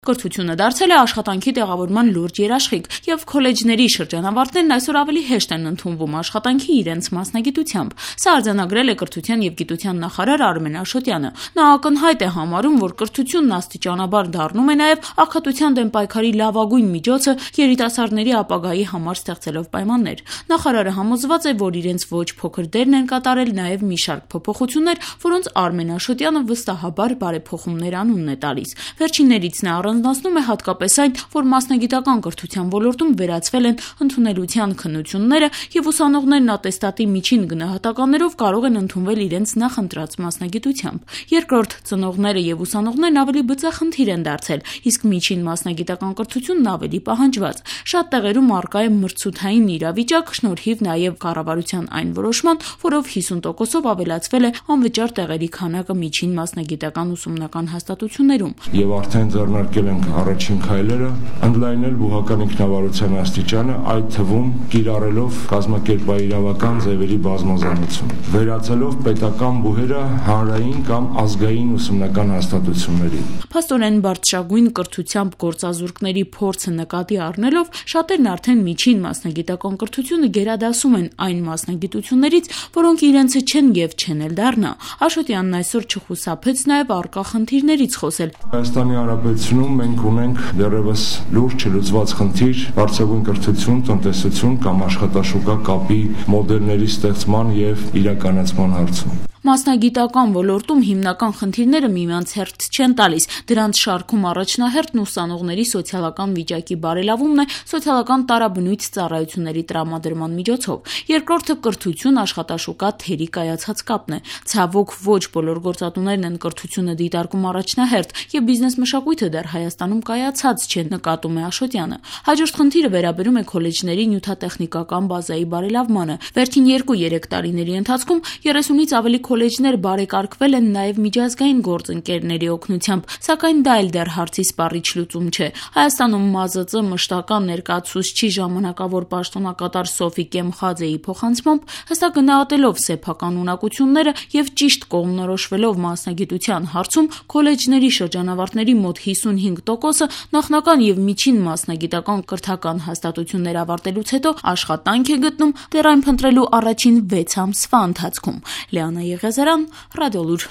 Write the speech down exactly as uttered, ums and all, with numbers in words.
Կրթությունը դարձել է աշխատանքի տեղավորման լուրջ երաշխիք, եւ քոլեջների շրջանավարտներն այսօր ավելի հեշտ են ընդունվում աշխատանքի իրենց մասնագիտությամբ։ Սա արձանագրել է կրթության եւ գիտության նախարար Արմեն Աշոտյանը։ Նա ակնհայտ է համարում, որ կրթությունն աստիճանաբար դառնում է նաեւ աղքատության դեմ պայքարի լավագույն միջոցը երիտասարդների ապագայի համար ստեղծելով պայմաններ։ Նախարարը համոզված է, որ իրենց ոչ փոքր դերն են կատարել նաեւ մի շարք փոփոխություններ, որոնց Արմեն Աշոտյանը վստահաբար բարեփոխումներ անունն է տալիս։ Վերջիններից նա առանձնացնում է հատկապես այն, որ մասնագիտական կրթության ոլորտում վերացվել են ընդունելության քննությունները եւ ուսանողներն ատեստատի միջին գնահատականներով կարող են ընդունվել իրենց նախընտրած մասնագիտությամբ։ Երկրորդ, ծնողները եւ ուսանողներն ավելի բծախնդիր են դարձել, իսկ միջին մասնագիտական կրթությունն ավելի պահանջված։ Շատ տեղերում առկա է մրցութային իրավիճակ, շնորհիվ նաեւ կառավարության այն որոշման, որով հիսուն տոկոսով ավելացվել է անվճար տեղերի քանակը միջին մասնագիտական ուսումնական հաստատություններում։ Եվ արդեն ձեռնարկել ենք առաջին քայլերը ընդլայնել բուհական ինքնավարության աստիճանը, այդ թվում կիրառելով կազմակերպաիրավական ձևերի բազմազանություն, վերածելով պետական բուհերը հանրային կամ ազգային ուսումնական հաստատությունների։ Փաստորեն բարձրագույն կրթությամբ գործազուրկների փորձը նկատի առնելով շատերն արդեն միջին մասնագիտական կրթությունը գերադասում են այն մասնագիտություններից, որոնք իրենցը չեն եւ չեն էլ դառնա։ Աշոտյանն այսօր չխուսափեց նաեւ առկա խնդիրներից խոսել։ Հայաստանի Հանրապետությունում մենք ունենք դեռևս լուրջ չլուծված խնդիր բարձրագույն կրթություն, տնտեսություն կամ աշխատաշուկա կապի մոդելների ստեղծման եւ իրականացման հարցում։ Մասնագիտական ոլորտում հիմնական խնդիրները միմյանց հերթ չեն տալիս։ Դրանց շարքում առաջնահերթն ուսանողների սոցիալական վիճակի բարելավումն է սոցիալական տարաբնույթ ծառայությունների տրամադրման միջոցով։ Երկրորդը կրթություն, աշխատաշուկա թերի կայացած կապն է։ Ցավոք ոչ բոլոր գործատուներն են կրթությունը դիտարկում առաջնահերթ, եւ բիզնես մշակույթը դեռ Հայաստանում կայացած չէ, նկատում է Աշոտյանը։ Հաջորդ խնդիրը վերաբերում է քոլեջների նյութատեխնիկական բազայի բարելավմանը։ Վերջին երկու-երեք տարիների ընթացքում երեսունից ավելի քոլեջներ բարեկարգվել են նաև միջազգային գործընկերների օգնությամբ, սակայն դա էլ դեռ հարցի սպառիչ լուծում չէ։ Հայաստանում ՄԱԶԾ մշտական ներկայացուցչի ժամանակավոր պաշտոնակատար Սոֆի Կեմխաձեի փոխանցմամբ, հստակ գնահատելով սեփական ունակությունները եւ ճիշտ կողմնորոշվելով մասնագիտության հարցում, քոլեջների շրջանավարտների մոտ հիսունհինգ տոկոսը նախնական եւ միջին մասնագիտական կրթական հաստատություններ ավարտելուց հետո աշխատանք է գտնում դեռ այն փնտրելու առաջին վեց ամսվա ընթացքում։ Լիանա Եղիազարյան, Ռադիոլուր։